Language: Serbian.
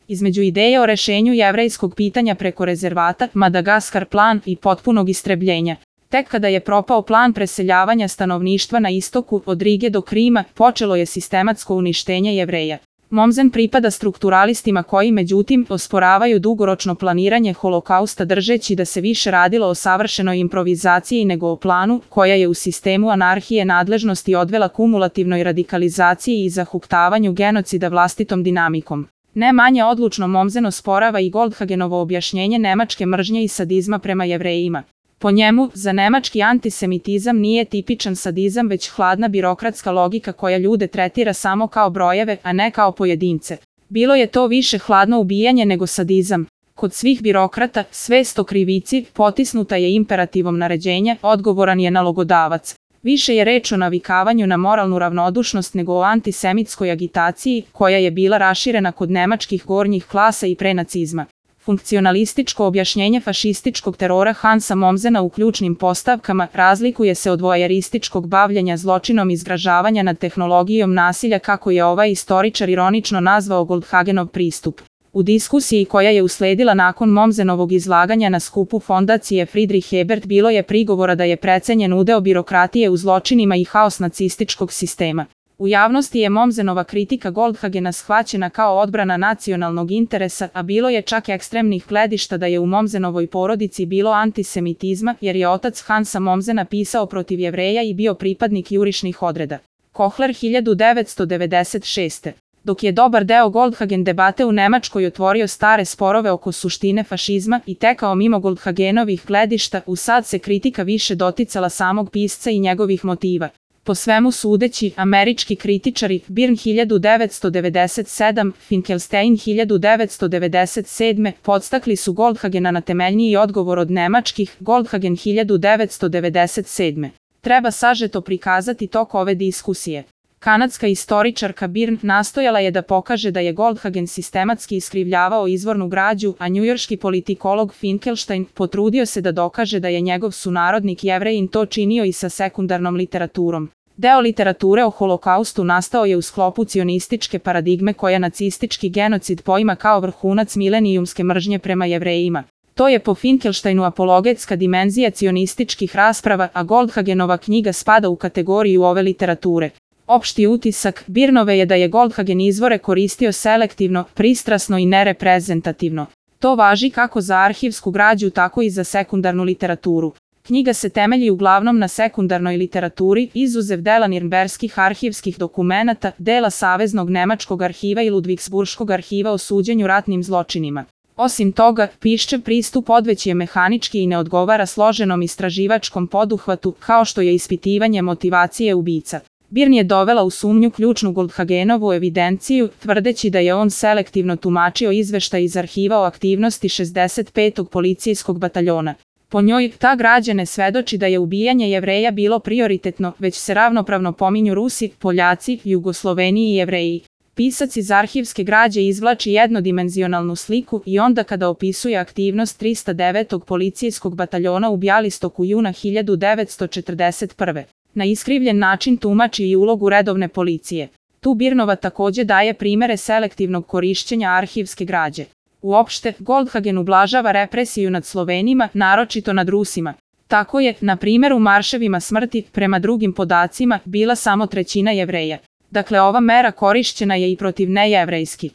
Između ideje o rešenju jevrejskog pitanja preko rezervata, Madagaskar plan i potpunog istrebljenja. Tek kada je propao plan preseljavanja stanovništva na istoku od Rige do Krima, počelo je sistematsko uništenje Jevreja. Mommsen pripada strukturalistima koji međutim osporavaju dugoročno planiranje holokausta držeći da se više radilo o savršenoj improvizaciji nego o planu, koja je u sistemu anarhije nadležnosti odvela kumulativnoj radikalizaciji i zahuktavanju genocida vlastitom dinamikom. Ne manje odlučno Mommsen osporava i Goldhagenovo objašnjenje nemačke mržnje i sadizma prema Jevrejima. Po njemu, za nemački antisemitizam nije tipičan sadizam već hladna birokratska logika koja ljude tretira samo kao brojeve, a ne kao pojedince. Bilo je to više hladno ubijanje nego sadizam. Kod svih birokrata, svest o krivici, potisnuta je imperativom naređenja, odgovoran je nalogodavac. Više je reč o navikavanju na moralnu ravnodušnost nego o antisemitskoj agitaciji, koja je bila raširena kod nemačkih gornjih klasa i pre nacizma. Funkcionalističko objašnjenje fašističkog terora Hansa Mommsena u ključnim postavkama razlikuje se od voajerističkog bavljenja zločinom i zgražavanja nad tehnologijom nasilja kako je ovaj istoričar ironično nazvao Goldhagenov pristup. U diskusiji koja je usledila nakon Mommsenovog izlaganja na skupu fondacije Friedrich Ebert bilo je prigovora da je precenjen udeo birokratije u zločinima i haos nacističkog sistema. U javnosti je Mommsenova kritika Goldhagena shvaćena kao odbrana nacionalnog interesa, a bilo je čak ekstremnih gledišta da je u Mommsenovoj porodici bilo antisemitizma, jer je otac Hansa Mommsena pisao protiv Jevreja i bio pripadnik jurišnih odreda. Kohler 1996. Dok je dobar deo Goldhagen debate u Nemačkoj otvorio stare sporove oko suštine fašizma i tekao mimo Goldhagenovih gledišta, usad se kritika više doticala samog pisca i njegovih motiva. Po svemu sudeći, američki kritičari Byrne 1997, Finkelstein 1997 podstakli su Goldhagena na temeljniji odgovor od nemačkih Goldhagen 1997. Treba sažeto prikazati tok ove diskusije. Kanadska istoričarka Byrne nastojala je da pokaže da je Goldhagen sistematski iskrivljavao izvornu građu, a njujorški politikolog Finkelstein potrudio se da dokaže da je njegov sunarodnik Jevrejin to činio i sa sekundarnom literaturom. Deo literature o holokaustu nastao je u sklopu cionističke paradigme koja nacistički genocid poima kao vrhunac milenijumske mržnje prema Jevrejima. To je po Finkelsteinu apologetska dimenzija cionističkih rasprava, a Goldhagenova knjiga spada u kategoriju ove literature. Opšti utisak Byrnove je da je Goldhagen izvore koristio selektivno, pristrasno i nereprezentativno. To važi kako za arhivsku građu tako i za sekundarnu literaturu. Knjiga se temelji uglavnom na sekundarnoj literaturi, izuzev dela nirnberskih arhivskih dokumenata, dela Saveznog nemačkog arhiva i Ludvigsburškog arhiva o suđenju ratnim zločinima. Osim toga, Piščev pristup odveć je mehanički i ne odgovara složenom istraživačkom poduhvatu, kao što je ispitivanje motivacije ubica. Byrne je dovela u sumnju ključnu Goldhagenovu evidenciju, tvrdeći da je on selektivno tumačio izveštaj iz arhiva o aktivnosti 65. policijskog bataljona. Po njoj, ta građa ne svedoči da je ubijanje Jevreja bilo prioritetno, već se ravnopravno pominju Rusi, Poljaci, Jugosloveni i Jevreji. Pisac iz arhivske građe izvlači jednodimenzionalnu sliku i onda kada opisuje aktivnost 309. policijskog bataljona u Bjalistoku juna 1941. Na iskrivljen način tumači i ulogu redovne policije. Tu Byrnova takođe daje primere selektivnog korišćenja arhivske građe. Uopšte, Goldhagen ublažava represiju nad Slovenima, naročito nad Rusima. Tako je, na primjer u marševima smrti, prema drugim podacima, bila samo 1/3 Jevreja. Dakle, ova mera korišćena je i protiv nejevrejskih.